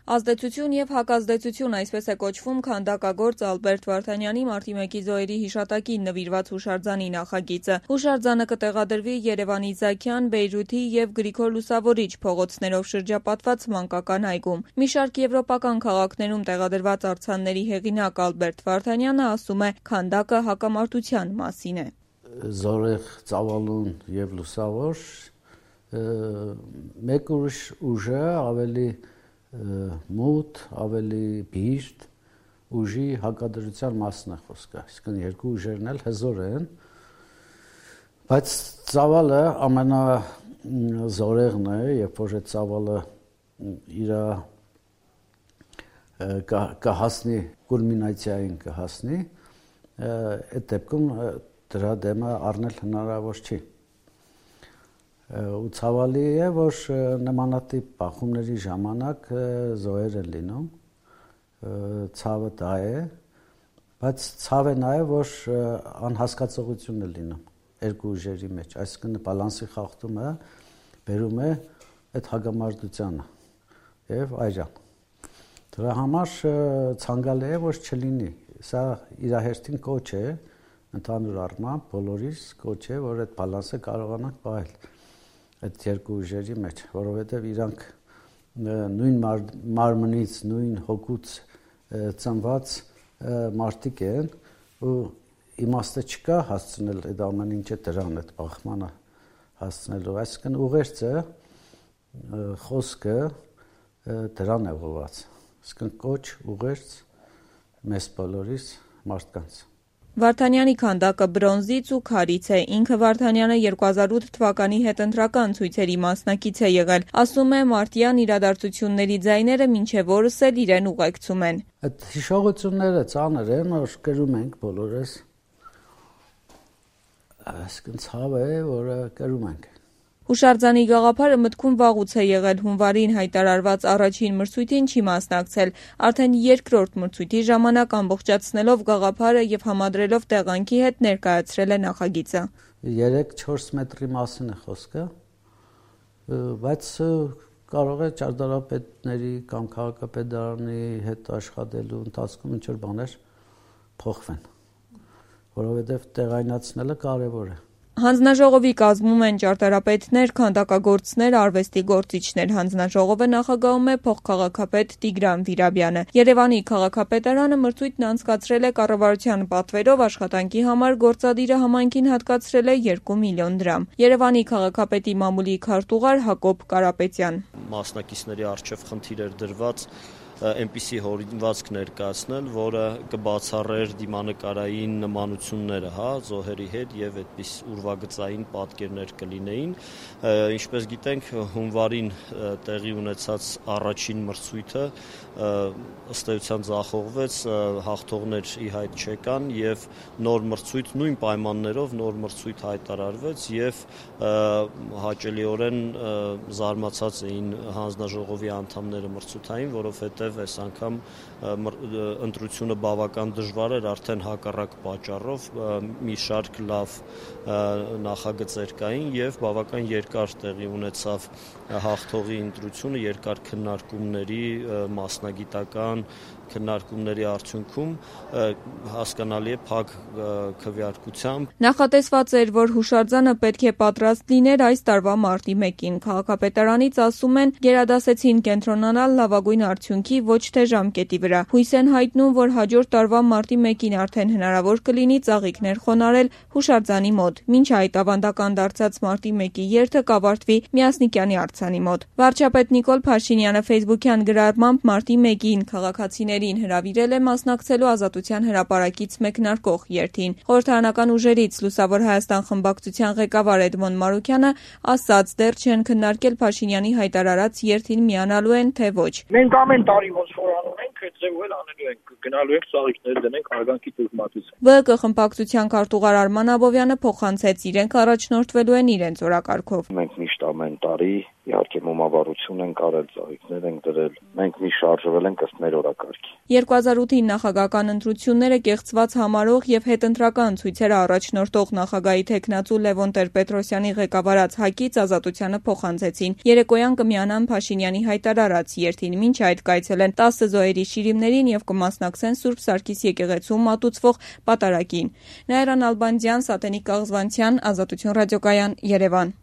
Ազդեցություն եւ հակազդեցություն այսպես է կոչվում քանդակագործ Ալբերտ Վարդանյանի մարտի 1-ի զոհերի հիշատակին նվիրված հուշարձանի նախագիծը։ Հուշարձանը կտեղադրվի Երևանի Զաքյան, Բեյրութի եւ Գրիգոր Լուսավորիչ փողոցներով շրջապատված մանկական այգում։ Մի շարք եվրոպական քաղաքներում տեղադրված արձանների հեղինակ Ալբերտ Վարդանյանը ասում է, քանդակը հակամարտության մասին է։ Զորեղ, ծավալուն եւ լուսավոր մեկ ուրիշ ուժը ավելի մութ, ավելի բիրտ ուժի հակադրության մասն է խոսքը, այսինքն երկու ուժերն էլ հզոր են, բայց ծավալը ամենազորեղն է, երբ որ այդ ծավալը իր կհասնի կուլմինացիային կհասնի, այդ դեպքում դրա դեմը առնել հնարավոր չի։ Ու ցավալի է, որ նմանատիպ բախումների ժամանակ զոհեր են լինում, ցավը դա է, բայց ցավ է նաև, որ անհասկացողություն է լինում երկու ուժերի մեջ, այսինքն բալանսի խախտումը բերում է այդ հագամարտությանը եւ այրան։ Դրա համար ցանկալի է, որ չլինի, սա իր հերթին կոչ է, ընդհանուր առմամբ բոլորիս կոչ է, որ այդ բալանսը կարողանանք պահել այդ երկու ուժերի մեջ, որովհետև իրանք նույն մարմնից, նույն հոգուց ծնված մարդիկ են ու իմաստը չկա հասցնել այդ ամեն ինչը դրան, այդ բախմանը հասցնելու, այսինքն ուղերձը, խոսքը դրան է ուղղված, այսինքն կոչ, ուղերձ մեզ բոլորիս մարդկանց։ Վարդանյանի քանդակը բրոնզից ու քարից է, ինքը Վարդանյանը 2008 թվականի հետընտրական ցույցերի մասնակից է եղել, ասում է մարտյան իրադարձությունների ձայները մինչև օրս էլ իրեն ուղեկցում են։ Այդ հիշողությունները ծանր են, որ կրում ենք բոլորս, այսինքն ցավ է, որը կրում ենք։ Հուշարձանի գաղափարը մտքում վաղուց է եղել, հունվարին հայտարարված առաջին մրցույթին չի մասնակցել, արդեն երկրորդ մրցույթի ժամանակ ամբողջացնելով գաղափարը եւ համադրելով տեղանքի հետ ներկայացրել է նախագիծը։ 3-4 մետրի մասին է խոսքը, բայց կարող է ճարտարապետների կամ քաղաքապետարանի հետ աշխատելու ընթացքում ինչ-որ բաներ փոխվեն, որովհետեւ տեղայնացնելը կարեւոր է։ Հանձնաժողովի կազմում են ճարտարապետներ, քանդակագործներ, արվեստի գործիչներ։ Հանձնաժողովը նախագահում է փոխքաղաքապետ Տիգրան Վիրաբյանը։ Երևանի քաղաքապետարանը մրցույթն անցկացրել է կառավարության պատվերով, աշխատանքի համար գործադիրը համայնքին հատկացրել է 2 միլիոն դրամ։ Երևանի քաղաքապետի մամուլի քարտուղար Հակոբ Կարապետյան։ Մասնակիցների առջև խնդիր էր դրված այնպիսի հորինվածք ներկայացնել, որը կբացառեր դիմանկարային նմանությունները, զոհերի հետ եւ այդպես ուրվագծային պատկերներ կլինեին։ Ինչպես գիտենք, հունվարին տեղի ունեցած առաջին մրցույթը ըստ էության ձախողվեց, հաղթողներ ի հայտ չեկան եւ նոր մրցույթ նույն պայմաններով նոր մրցույթ հայտարարվեց եւ հաճելիորեն զարմացած էին հանձնաժողովի անդամները մրցութային, որովհետեւ այս անգամ ընտրությունը բավական դժվար էր, արդեն հակառակ պատճառով մի շարք լավ նախագծեր կային եւ բավական երկար տեղի ունեցավ հաղթողի ընտրությունը, երկար քննարկումների, մասնագիտական քննարկումների արդյունքում հասկանալի է փակ քվեարկությամբ։ Նախատեսված էր, որ հուշարձանը պետք է պատրաստ լիներ այս տարվա մարտի 1-ին։ Քաղաքապետարանից ասում են, գերադասեցին կենտրոնանալ լավագույն արդյունքի, ոչ թե ժամկետի վրա։ Հույս են հայտնում, որ հաջորդ տարվա մարտի 1-ին արդեն հնարավոր կլինի ծաղիկներ խոնարհել հուշարձանի մոտ։ Մինչ այդ ավանդական դարձած մարտի 1-ի երթը կավարտվի Միասնիկյանի արձանի մոտ։ Վարչապետ Նիկոլ Փաշինյանը Facebook-յան գրառմամբ մարտի 1-ին քաղաքացիներին հրավիրել է մասնակցելու Ազատության հրապարակից մեկնարկող երթին։ Խորհրդարանական ուժերից Լուսավոր Հայաստան խմբակցության ղեկավար Էդմոն Մարուքյանը ասաց, դեռ չեն քննարկել Փաշինյանի հայտարարած երթին միանալու են, թե ոչ։ Մենք ամեն տարի ոնց որ անում ենք, այդ ձևով էլ անելու ենք, գնալու ենք ծաղիկներ դնենք արգանքի տուժմատություն։ ԲՀԿ խմբակցության քարտուղար Արման Աբովյանը փոխանցեց, իրենք առաջնորդվելու են իրենց օրակարգով։ Մենք միշտ ամեն տարի իհարկե մոմավառություն ենք արել, ծաղիկներ ենք դրել։ Մենք մի շարժվել ենք ըստ մեր օրակարգի։ 2008-ի նախագահական ընտրությունները կեղծված համարող եւ հետընտրական ցույցերը առաջնորդող նախագահի թեկնածու Լևոն Տեր-Պետրոսյանի ղեկավարած ՀԱԿ-ից Ազատությանը փոխանցեցին։ Երեկոյան կմիանան Փաշինյանի հայտարարած երթին, մինչ այդ կայցելեն 10 զոհերի շիրիմներին եւ կմասնակցեն Սուրբ Սարգիս եկեղեցու մատուցվող պատարագին։ Նաիրա Նալբանդյան, Սատենիկ Աղզվանցյան, Ազատություն ռադիոկայան, Երևան։